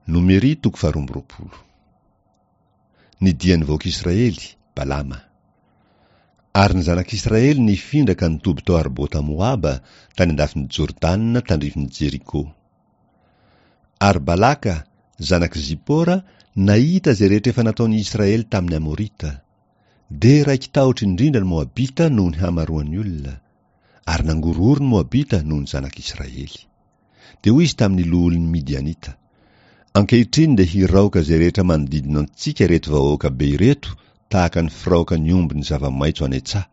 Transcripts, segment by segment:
Nomery toko faharoa amby roapolo. Ny dian'ny vahoaka Israely, Balama. Ary ny zanak'Israely nifindra ka nitoby tao Arbota Moaba, tany an-dafin'i Jordana tandrifin'i Jeriko. Ary Balaka, zanak'i Zipora, nahita izay rehetra efa nataon'i Israely tamin'ny Amorita. Dia raiki-tahotra indrindra ny Moabita noho ny hamaroan'ny olona, ary nangorohoro ny Moabita noho ny zanak'Israely. Dia hoy izy tamin'ny loholon'ny Midianita, Ankehitriny dia hiraoka izay rehetra manodidina antsika ireto vahoaka be ireto tahaka ny firaokan'ny omby ny zava-maitso any an-tsaha.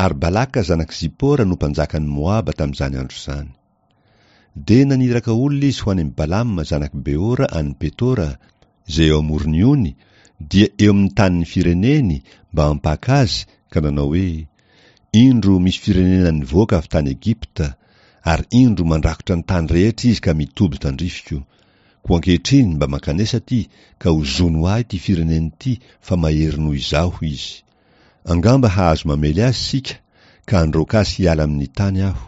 Ary Balaka zanak'i Zipora no mpanjakan'i Moaba tamin'izany andro izany. Dia naniraka olona izy ho any amin'i Balama zanak'i Beora any Petora, izay eo amoron'ny ony, dia eo amin'ny tanin'ny fireneny, mba hampaka azy, ka nanao hoe, Indro misy firenena nivoaka avy tany Egypta, ary indro mandrakotra ny tany rehetra izy ka mitoby tandrifiko. Koa ankehitriny mba mankanesa aty, ka hozono ahy ity firenena ity, fa mahery noho izaho izy. Angamba hahazo mamely azy isika, ka handroaka azy hiala amin'ny tany aho.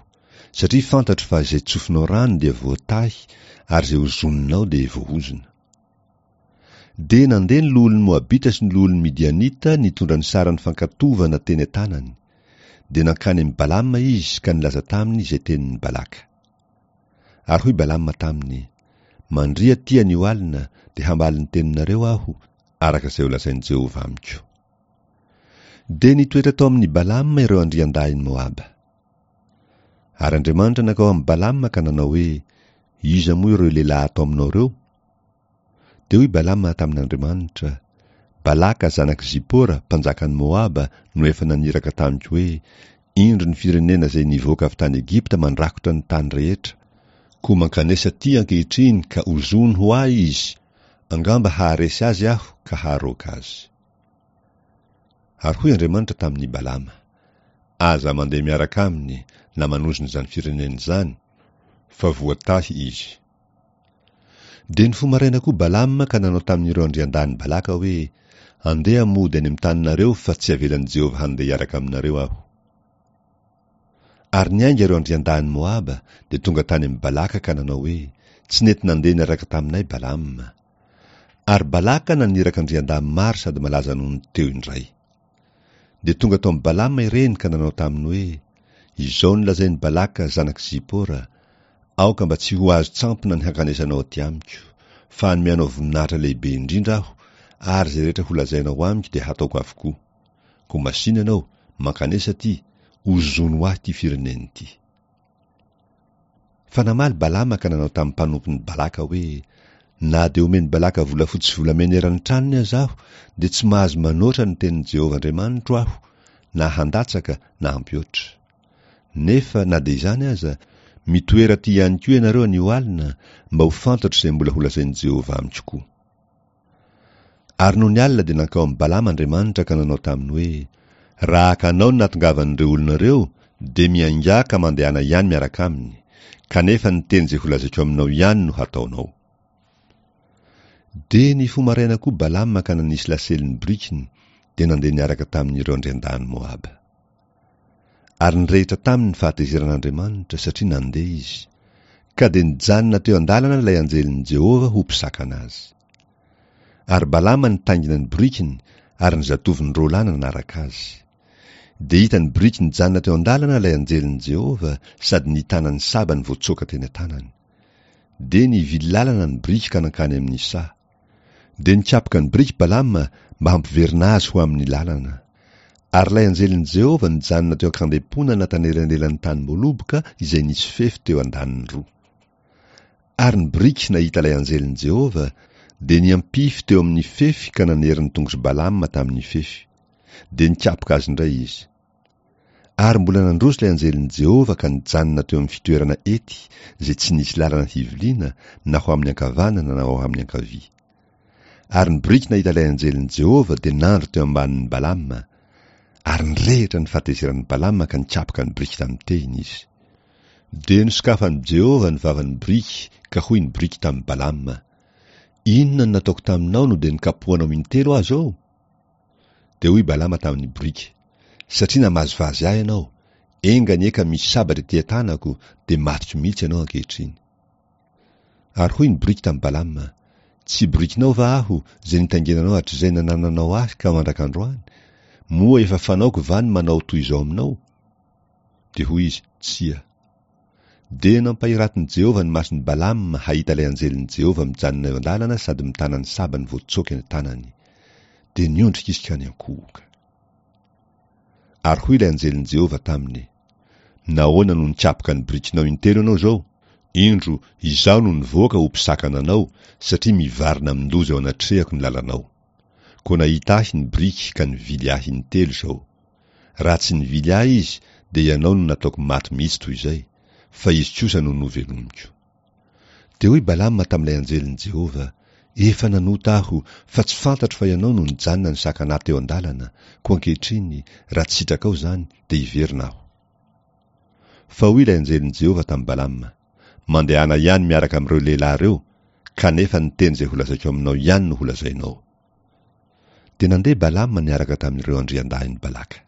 Satria fantatro fa izay tsofinao rano dia voatahy, ary izay hozoninao dia voahozona. Dia nandeha ny loholon'ny Moabita sy ny loholon'ny Midianita nitondra ny saran'ny fankatovana teny an-tanany. Dia nankany amin'i Balama izy ka nilaza taminy izay tenin'i Balaka. Ary hoy Balama taminy, Mandria atỳ anio alina, dia hamaly ny teninareo aho, araka izay holazain'i Jehovah amiko. Dia nitoetra tao amin'i Balama ireo andriandahin'i Moaba. Ary Andriamanitra nankao amin'i Balama ka nanao hoe, Iza moa ireo lehilahy ato aminao ireo? Dia hoy Balama tamin'Andriamanitra, Balaka zanak'i Zipora, mpanjakan'i Moaba, no efa naniraka tamiko hoe, Indro ny firenena izay nivoaka avy tany Egypta mandrakotra ny tany rehetra, koa mankanesa atỳ ankehitriny ka ozòny ho ahy izy, angamba haharesy azy aho ka haharoaka azy. Ary hoy Andriamanitra tamin'i Balama, Aza mandeha miaraka aminy na manozona izany firenena izany, fa voatahy izy. Dia nifoha maraina koa Balama ka nanao tamin'ireo andriandahin'i Balaka hoe, Andeha mody any amin'ny taninareo fa tsy havelan'i Jehovah handeha hiaraka aminareo aho. Ary niainga ireo andriandahin'i Moaba, dia tonga tany amin'i Balaka ka nanao hoe, Tsy nety nandeha niaraka taminay Balama. Ary Balaka naniraka andriandahy maro sady malaza noho ny teo indray. Dia tonga tao amin'i Balama ireny ka nanao taminy hoe, Izao no lazain'i Balaka zanak'i Zipora, Aoka mba tsy ho azon-tsampona ny hankanesanao aty amiko, fa hanome anao voninahitra lehibe indrindra aho, ary izay rehetra holazainao amiko dia hataoko avokoa. Koa masìna ianao, mankanesa aty, ozono ho ahy ity firenena ity. Fa namaly Balama ka nanao tamin'ny mpanompon'i Balaka hoe, Na dia omen'i Balaka volafotsy sy volamena eran'ny tranony aza aho, dia tsy mahazo manoatra ny tenin'i Jehovah Andriamanitro aho, na handatsaka na hampihoatra. Nefa na dia izany aza, mitoera aty ihany koa ianareo anio alina, mba ho fantatro izay mbola holazain'i Jehovah amiko koa. Ary nony alina dia nankao amin'i Balama Andriamanitra ka nanao taminy hoe, Raha haka anao ny nahatongavan'ireo olona ireo, dia miaingà ka mandehana ihany miaraka aminy, kanefa ny teny izay holazaiko aminao ihany no hataonao. Dia nifoha maraina koa Balama ka nanisy lasely ny borikiny, dia nandeha niaraka tamin'ireo andriandahin'i Moaba. Ary nirehitra taminy ny fahatezeran'Andriamanitra, satria nandeha izy. Ka dia nijanona teo an-dalana ilay anjelin'i Jehovah ho mpisakana azy. Ary Balama nitaingina ny borikiny, ary ny zatovony roa lahy nanaraka azy. Dia hitan'ny boriky nijanona teo an-dalana ilay anjelin'i Jehovah, sady nitana ny sabany voatsoaka teny an-tanany. Dia nivily lalana ny boriky ka nankany amin'ny saha. Dia nikapoka ny biriky Balama mba hampiverina azy ho amin'ny lalana. Ary ilay anjelin'i Jehovah nijanona teo an-kandemponana tanelanelan'ny tanim-boaloboka izay nisy fefy teo andaniny roa. Ary ny biriky nahita ilay anjelin'i Jehovah, dia niampify teo amin'ny fefy ka nanery ny tongotr'i Balama tamin'ny fefy. Dia nikapoka azy indray izy. Ary mbola nandroso ilay anjelin'i Jehovah ka nijanona teo amin'ny fitoerana ety, izay tsy nisy lalana hiviliana na ho amin'ny ankavanana na ho amin'ny ankavia. Ary ny boriky nahita ilay anjelin'i Jehovah dia nandry teo ambanin'i Balama, ary nirehitra ny fahatezeran'i Balama ka nikapoka ny boriky tamin'ny tehiny izy. Dia nosokafan'i Jehovah ny vavan'ny boriky, ka hoy ny boriky tamin'i Balama, Inona no nataoko taminao no dia nikapohanao intelo aho izao? Dia hoy Balama tamin'ny boriky, Satria namazivazy ahy ianao, enga anie ka misy sabatra ety an-tanako, dia matiko mihitsy ianao ankehitriny. Ary hoy ny boriky tamin'i Balama, Tsy borikinao va aho, izay nitaingenanao hatrizay nanananao ahy ka mandrak'androany? Moa efa fanaoko va ny manao toy izao aminao? Dia hoy izy, Tsia. Dia nampahiratin'i Jehovah ny mason'i Balama hahita ilay anjelin'i Jehovah mijanona eo an-dalana sady mitana ny sabany voatsoaka eny an-tanany. Dia niondrika izy ka niankohoka. Ary hoy ilay anjelin'i Jehovah taminy, Nahoana no nikapoka ny birikinao intelo ianao izao? Indro, izaho no nivoaka ho mpisakana anao, satria mivarina amin-doza eo anatrehako ny lalanao. Koa nahita ahy ny biriky ka nivily ahy intelo izao. Raha tsy nivily ahy izy, dia ianao no nataoko maty mihitsy toy izay, fa izy kosa no novelomiko. Dia hoy Balama tamin'ilay anjelin'i Jehovah, Efa nanota aho, fa tsy fantatro fa ianao no nijanona nisakana ahy teo an-dalana, koa ankehitriny, raha tsy sitrakao izany, dia hiverina aho. Fa hoy ilay anjelin'i Jehovah tamin'i Balama, Mandehana ihany miaraka amin'ireo lehilahy ireo, kanefa ny teny izay holazaiko aminao ihany no holazainao. Dia nandeha Balama niaraka tamin'ireo andriandahin'i Balaka.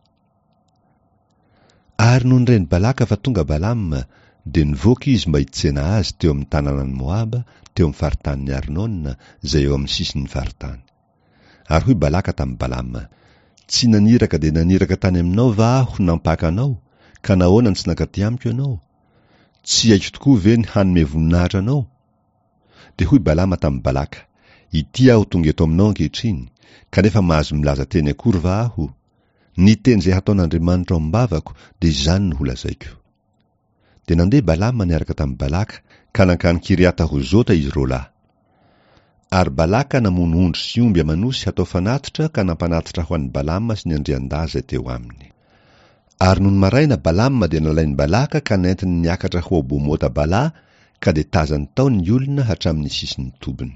Ary nony ren'i Balaka fa tonga Balama, dia nivoaka izy mba hitsena azy teo amin'ny tanànan'i Moaba, teo amin'ny faritanin'i Arnona, izay eo amin'ny sisin'ny faritany. Ary hoy Balaka tamin'i Balama, Tsy naniraka dia naniraka tany aminao va aho nampaka anao, ka nahoana no tsy nankaty amiko ianao? Tsy haiko tokoa ve ny hanome voninahitra anao? Dia hoy Balama tamin'i Balaka, Ity aho tonga eto aminao ankehitriny, kanefa mahazo milaza teny akory va aho? Ny teny izay hataon'Andriamanitra ao am-bavako dia izany no holazaiko. Dia nandeha Balama niaraka tamin'i Balaka, ka nankany Kiriata-Hozota izy roa lahy. Ary Balaka namono ondry sy omby aman'osy hatao fanatitra ka nampanatitra ho an'i Balama sy ny andriandahy izay teo aminy. Ary nony maraina Balama dia nalain'i Balaka ka nentiny niakatra ho ao Bomota-Bala, ka dia tazany tao ny olona hatramin'ny sisin'ny tobiny.